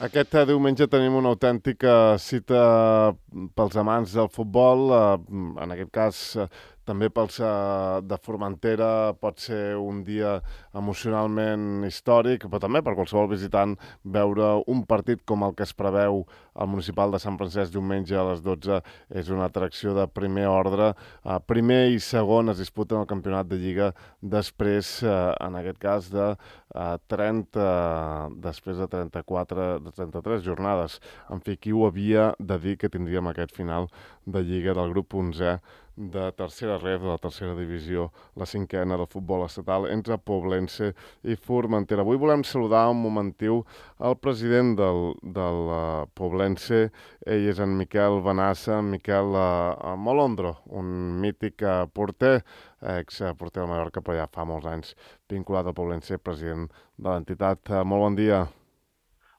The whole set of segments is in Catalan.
Aquest diumenge tenim una autèntica cita pels amants del futbol, en aquest cas també pels de Formentera pot ser un dia emocionalment històric, però també per qualsevol visitant veure un partit com el que es preveu al Municipal de Sant Francesc diumenge a les 12 és una atracció de primer ordre. Primer i segon es disputen el campionat de Lliga després, en aquest cas, de després de 33 jornades. En fi, qui ho havia de dir que tindríem aquest final de Lliga del grup 11è de tercera ref, de la tercera divisió, la cinquena del futbol estatal, entre Poblense i Formentera. Avui volem saludar un momentiu el president del Poblense. Ell és en Miquel Benassa. Miquel Molondro, un mític porter, exporter del Mallorca, però ja fa molts anys vinculat al Poblense, president de l'entitat. Molt bon dia.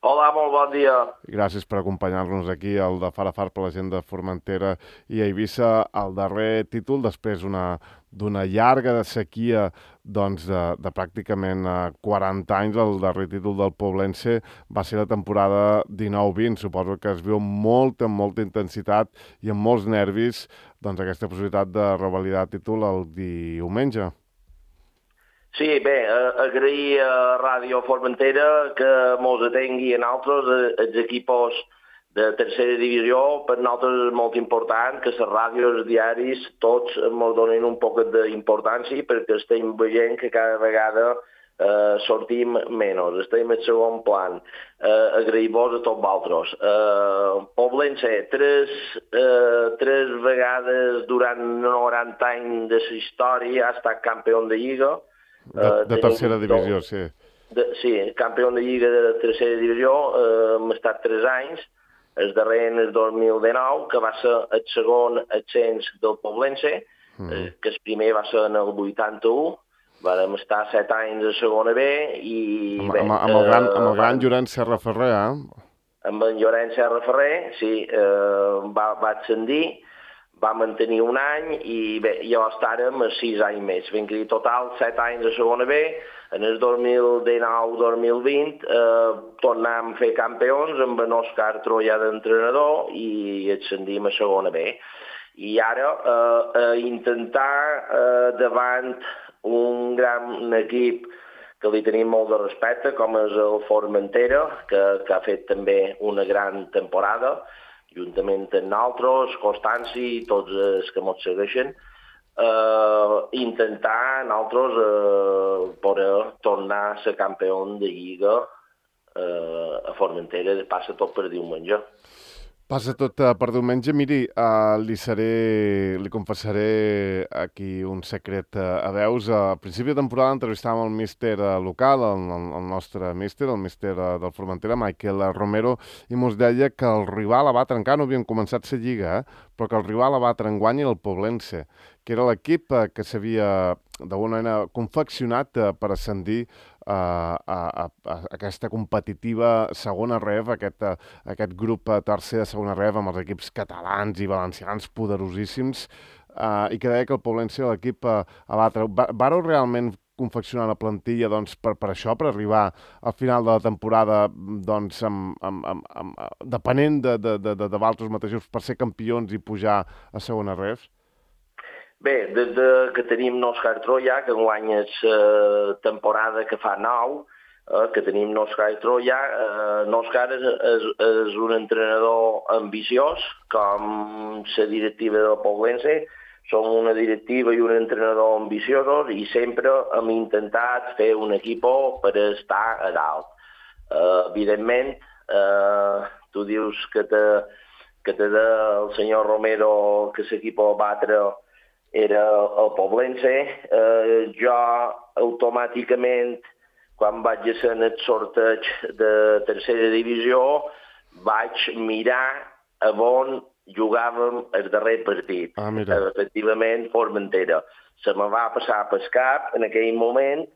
Hola, molt bon dia. Gràcies per acompanyar-nos aquí, el de Far a Far per la gent de Formentera i Eivissa, el darrer títol després d'una llarga sequia de pràcticament 40 anys. El darrer títol del Poblense va ser la temporada 19-20. Suposo que es viu amb molta intensitat i amb molts nervis aquesta possibilitat de revalidar títol el diumenge. Sí, bé, agrair a Ràdio Formentera que mos atengui a nosaltres, els equipos de tercera divisió. Per nosaltres és molt important que les ràdios, els diaris, tots ens donin un poc d'importància perquè estem veient que cada vegada sortim menys, estem en segon plan. Agrair-vos a tots vosaltres. Poblense, tres vegades durant 90 anys de la història ha estat campió de Lliga. De tercera divisió, sí. Sí, campió de Lliga de tercera divisió, hem estat 3 anys, el darrer en el 2019, que va ser el segon ascens del Poblense, que el primer va ser en el 81, vam estar 7 anys a segona B i... Amb el gran Llorenç Serra Ferrer, Amb en Llorenç Serra Ferrer, sí, va ascendir. Va mantenir un any i bé, llavors estàrem a 6 anys més. Vam dir total 7 anys a segona B. En el 2019-2020 tornàvem a fer campions amb en Òscar Troia d'entrenador i ascendim a segona B. I ara intentar davant un gran equip que li tenim molt de respecte, com és el Formentera, que ha fet també una gran temporada, juntament amb nosaltres, Constanci i tots els que ens segueixen, intentar nosaltres poder tornar a ser campió de Lliga a Formentera, passa tot per diumenge. Passa tot per diumenge. Miri, li confessaré aquí un secret a veus. A principi de temporada entrevistàvem el míster local, el nostre míster, el míster del Formentera, Michael Romero, i mos deia que el rival a batre, encara no havien començat la Lliga, però que el rival a batre enguany era el Poblense, que era l'equip que s'havia d'alguna manera confeccionat per ascendir a aquesta competitiva segona ref, aquest grup tercer de segona ref amb els equips catalans i valencians poderosíssims, i que deia que el Poblense era l'equip a batre. Vareu realment confeccionar la plantilla per això, per arribar al final de la temporada depenent de vosaltres mateixos per ser campions i pujar a segona ref? Bé, des que tenim Òscar Troia, que enguany és temporada que fa 9, que tenim Òscar Troia, Òscar és un entrenador ambiciós, com la directiva del Poblense. Som una directiva i un entrenador ambiciosos i sempre hem intentat fer un equip per estar a dalt. Evidentment, tu dius que té el senyor Romero que l'equip a batre era el Poblense. Jo automàticament, quan vaig ser en el sorteig de tercera divisió, vaig mirar on jugàvem el darrer partit. Efectivament, Formentera. Se me va passar pel cap en aquell moment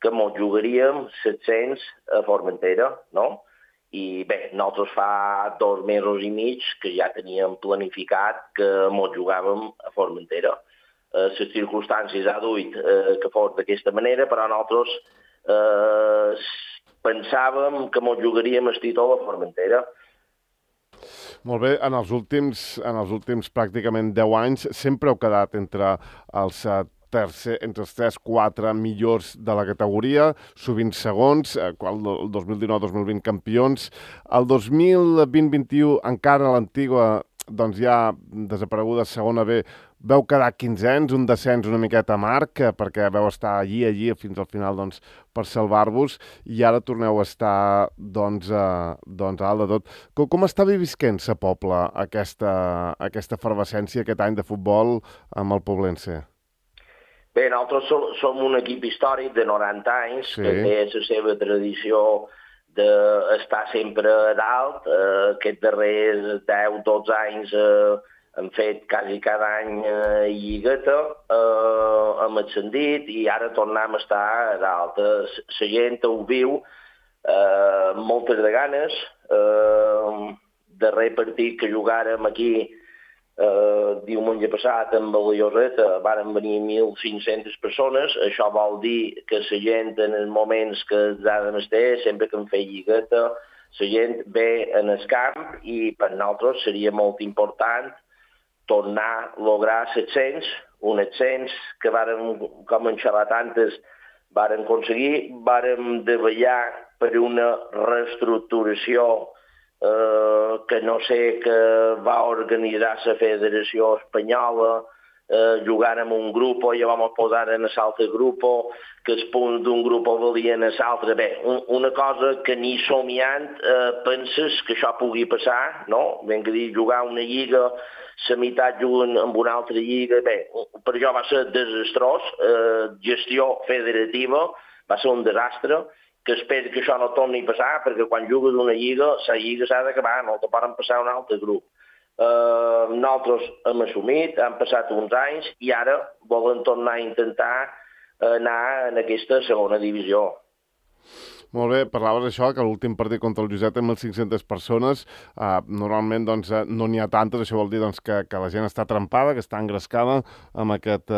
que mos jugaríem 700 a Formentera, no? I bé, nosaltres fa 2 mesos i mig que ja teníem planificat que mos jugàvem a Formentera. Les circumstàncies ha duit que fos d'aquesta manera, però nosaltres pensàvem que mos jugaríem el títol a Formentera. Molt bé, en els últims pràcticament 10 anys sempre heu quedat entre els entre els 3-4 millors de la categoria, sovint segons, el 2019-2020 campions. El 2020-21 encara l'antiga, doncs ja desapareguda segona B, veu quedar 15ens, un descens una miqueta amarg, perquè veu estar allí, fins al final, doncs, per salvar-vos, i ara torneu a estar, doncs a dalt de tot. Com està visquent Sa Pobla aquesta efervescència aquest any de futbol amb el Poblense? Bé, nosaltres som un equip històric de 90 anys, que té la seva tradició d'estar sempre a dalt. Aquests darrers 10-12 anys hem fet quasi cada any lligueta, hem ascendit i ara tornem a estar a dalt. La gent ho viu moltes de ganes. Darrer partit que jugàrem aquí diumenge passat amb la Lloreta van venir 1.500 persones. Això vol dir que la gent en els moments que els ha de menester, sempre que en feia lligueta, la gent ve en el camp i per nosaltres seria molt important tornar a lograr l'ascens, un ascens que vàrem, com en xerratantes, vàrem aconseguir, vàrem treballar per una reestructuració que no sé que va organitzar la Federació Espanyola, jugant en un grup i ja vam posar en l'altre grup, que els punts d'un grup valien a l'altre. Bé, una cosa que ni somiant penses que això pugui passar, no? Ben que dir, jugar una lliga, la meitat juguen en una altra lliga, bé, per això va ser desastrós, gestió federativa, va ser un desastre, que espero que això no torni a passar, perquè quan jugues una lliga, la lliga s'ha d'acabar, no te poden passar a un altre grup. Nosaltres hem assumit, han passat uns anys i ara volen tornar a intentar anar en aquesta segona divisió. Molt bé, parlaves això, que l'últim partit contra el Lloset amb 1.500 persones, normalment doncs, no n'hi ha tantes, això vol dir doncs, que la gent està trempada, que està engrescada amb aquest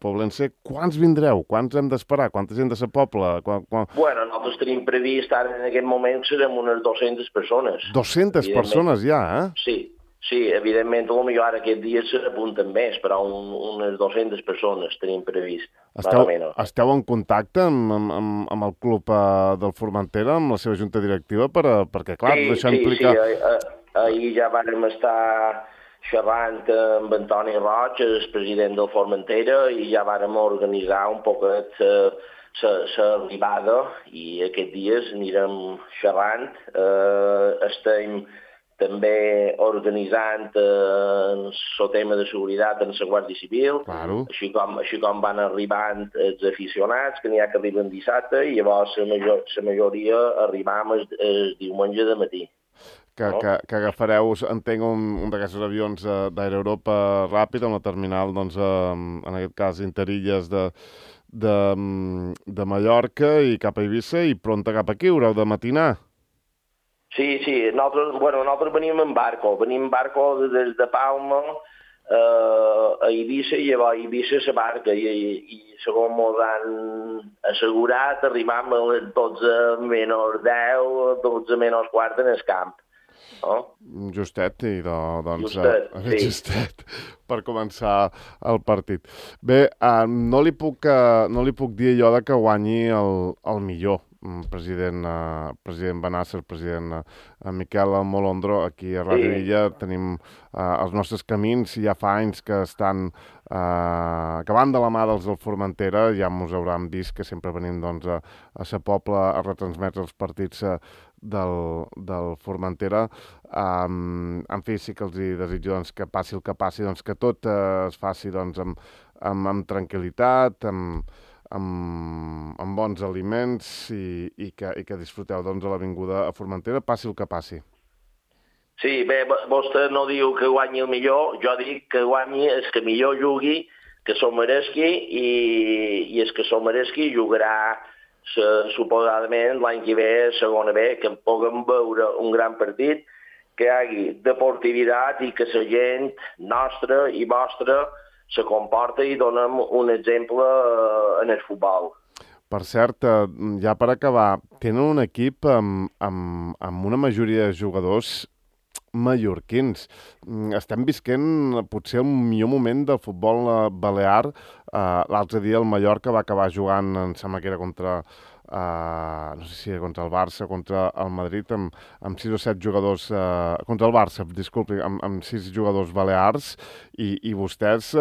Poblense. Quants vindreu? Quants hem d'esperar? Quanta gent de Sa Pobla? Bueno, nosaltres tenim previst ara en aquest moment serem unes 200 persones. 200 persones ja, Sí, evidentment, potser ara aquest dia s'apunten més, però unes 200 persones tenim previst. Esteu en contacte amb el club del Formentera, amb la seva junta directiva, perquè, clar, això implica... Sí, ahir ja vàrem estar xerrant amb Antoni Roig, el president del Formentera, i ja vàrem organitzar un poquet l'arribada, i aquests dies anirem xerrant. Estem també organitzant el tema de seguretat en la Guàrdia Civil, claro. així com van arribant els aficionats, que n'hi ha que arriben dissabte, i llavors la majoria arribam el diumenge de matí. Que agafareu, entenc, un d'aquests avions d'Air Europa ràpid amb la terminal, doncs, en aquest cas, Interilles de Mallorca i cap a Eivissa, i pronta cap aquí, haureu de matinar. Sí, nosaltres venim en barco des de Palma a Eivissa, i llavors a Eivissa la barca, i segons ens han assegurat, arribam a les 12 menys 10, 12 menys quart en el camp. Oh? Justet, i doncs... Justet, per començar el partit. Bé, no li puc dir allò de que guanyi el millor. President Benasser, president Miquel Molondro, aquí a Ràdio Illa tenim els nostres camins, ja fa anys que estan acabant de la mà dels del Formentera, ja ens hauran vist que sempre venim doncs, a Sa Pobla a retransmetre els partits del Formentera. En fi, sí que els desitjo doncs, que passi el que passi, doncs, que tot es faci doncs, amb tranquil·litat, amb bons aliments i que disfruteu doncs, de l'avinguda a Formentera, passi el que passi. Sí, bé, vostè no diu que guanyi el millor, jo dic que guanyi el que millor jugui, que s'ho mereixi, i el que s'ho mereixi jugarà suposadament l'any que ve a segona B, que puguem veure un gran partit, que hi hagi deportivitat i que la gent nostra i vostra se comporta i donem un exemple en el futbol. Per cert, ja per acabar, tenen un equip amb una majoria de jugadors mallorquins. Estem visquent potser el millor moment del futbol balear. L'altre dia el Mallorca va acabar jugant, em sembla que era contra no sé si era contra el Barça, contra el Madrid, amb 6 o 7 jugadors, contra el Barça, disculpi, amb 6 jugadors balears, i vostès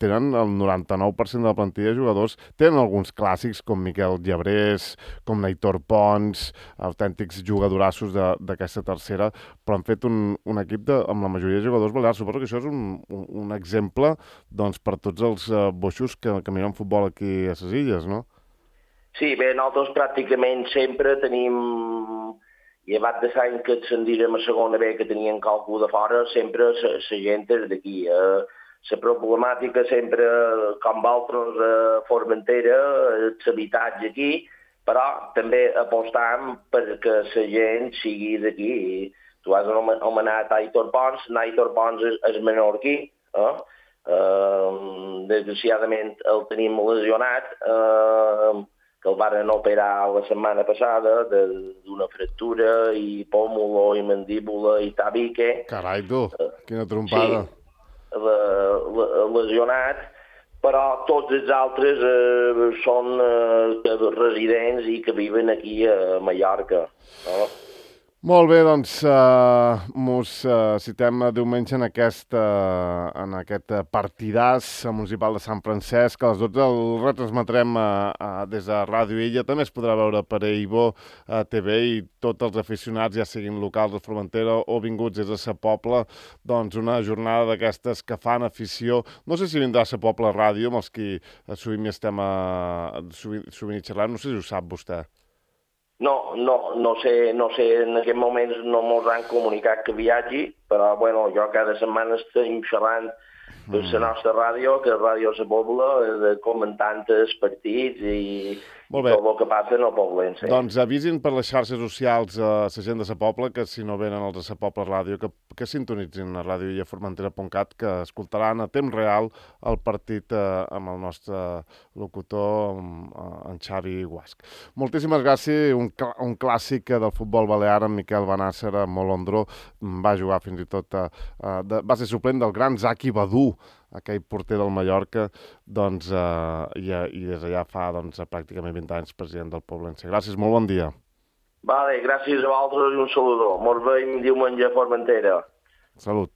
tenen el 99% de la plantilla de jugadors, tenen alguns clàssics com Miquel Llebrés, com Naitor Pons, autèntics jugadorassos d'aquesta tercera, però han fet un equip amb la majoria de jugadors balears. Suposo que això és un exemple, doncs, per tots els boixos que miren futbol aquí a les illes, no? Sí, bé, nosaltres pràcticament sempre tenim, llevat de l'any que ascendírem a segona B, que tenien qualcú de fora, sempre la gent és d'aquí. La problemàtica sempre, com vosaltres, Formentera, l'habitatge aquí, però també apostam perquè la gent sigui d'aquí. Tu has anomenat Aitor Pons, Aitor Pons és menorquí, desgraciadament el tenim lesionat, que el van operar la setmana passada d'una fractura i pòmulo i mandíbula i tabique. Carai, tu, quina trompada. Sí, lesionat, però tots els altres són residents i que viven aquí a Mallorca. No? Molt bé, doncs mos citem diumenge en aquest partidàs municipal de Sant Francesc. A les 12 el retransmetrem des de Ràdio Illa. També es podrà veure per Eibo TV, i tots els aficionats, ja siguin locals de Formentera o vinguts des de Sa Pobla, doncs una jornada d'aquestes que fan afició. No sé si vindrà a Sa Pobla Ràdio, amb els qui sovint hi estem sovint xerrant. No sé si ho sap vostè. No sé, en aquest moments no mos han comunicat que viatgi, però bueno, jo cada setmana estem xerrant per la nostra ràdio, que és Ràdio Sa Pobla, comentant els partits i tot el que passa en el poblense. Doncs avisin per les xarxes socials a la gent de Sa Pobla, que si no venen els de Sa Pobla Ràdio, que sintonitzin a radioillaformentera.cat, que escoltaran a temps real el partit amb el nostre locutor, en Xavi Guasc. Moltíssimes gràcies. Un clàssic del futbol balear, en Miquel Benàcer, Molondró, va jugar fins i tot, va ser suplent del gran Zaki Badú, aquell porter del Mallorca, doncs, i des d'allà fa pràcticament 20 anys president del Poblense. Gràcies, molt bon dia. Vale, gràcies a vosaltres i un saludó. Mos veiem diumenge a Formentera. Salut.